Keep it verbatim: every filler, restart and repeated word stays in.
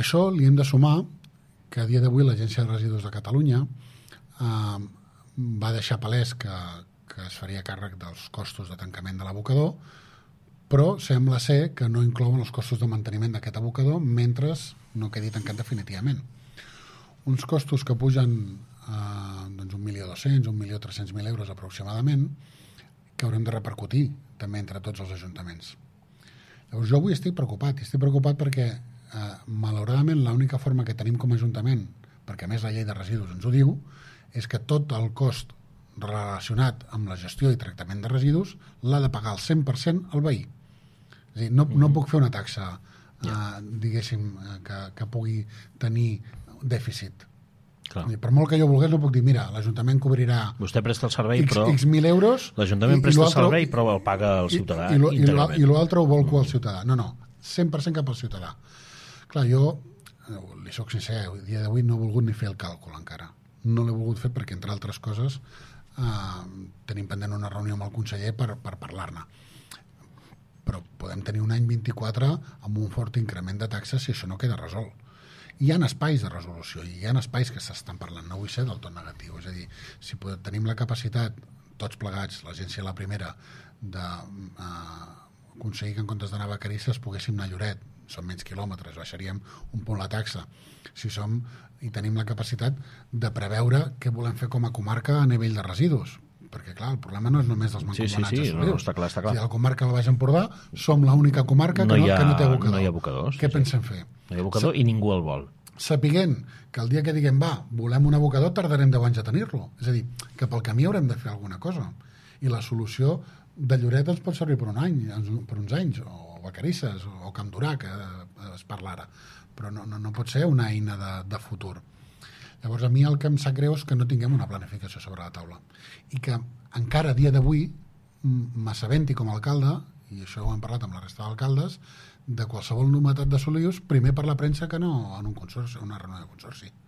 això li hem de sumar que a dia d'avui l'Agència de Residus de Catalunya eh, va deixar palès que, que es faria càrrec dels costos de tancament de l'abocador, però sembla ser que no inclouen els costos de manteniment d'aquest abocador mentre no quedi tancat definitivament. Uns costos que pugen eh, doncs un milió dos-cents, un milió tres-cents mil euros aproximadament, que haurem de repercutir també entre tots els ajuntaments. Llavors jo avui estic preocupat, estic preocupat perquè eh, malauradament l'única forma que tenim com a ajuntament, perquè a més la llei de residus ens ho diu, és que tot el cost relacionat amb la gestió i tractament de residus l'ha de pagar al cent per cent el veí. És a dir, no, no puc fer una taxa eh, diguéssim que, que pugui tenir dèficit. Clar. Per molt que jo volgués no puc dir, mira, l'Ajuntament cobrirà vostè presta el servei, X, però X mil euros l'Ajuntament presta el servei però el paga el ciutadà i, i, íntegrament. I l'altre ho volco al ciutadà. No, no, cent per cent cap al ciutadà. Clar, jo li soc sincer, el dia d'avui no he volgut ni fer el càlcul encara. No l'he volgut fer perquè, entre altres coses, eh, tenim pendent una reunió amb el conseller per, per parlar-ne. Però podem tenir un any vint-i-quatre amb un fort increment de taxes si això no queda resolt. Hi ha espais de resolució i hi ha espais que s'estan parlant, no vull ser del tot negatiu, és a dir, si podem, tenim la capacitat, tots plegats, l'agència la primera, de eh, aconseguir que en comptes d'anar a Vacarisses poguéssim anar a Lloret, són menys quilòmetres, baixaríem un punt la taxa, si som i tenim la capacitat de preveure què volem fer com a comarca a nivell de residus, perquè clar, el problema no és només dels mancomunats sí, sí, sí, de no, està clar, està clar. Si a la comarca del Baix Empordà som l'única comarca que no, ha, que no té abocador. No hi ha abocadors. Què sí, pensem sí. fer? No hi ha abocador i ningú el vol. Sapiguent que el dia que diguem, va, volem un abocador, tardarem deu anys a tenir-lo. És a dir, que pel camí haurem de fer alguna cosa. I la solució de Lloret ens pot servir per un any, per uns anys, o Vacarisses, o Camp Durà, que es parla ara. Però no, no, no pot ser una eina de, de futur. Llavors, a mi el que em sap greu és que no tinguem una planificació sobre la taula. I que encara a dia d'avui m'assabenti com a alcalde, i això ho hem parlat amb la resta d'alcaldes, de qualsevol novetat de Solius, primer per la premsa que no en un consorci, una reunió de consorci.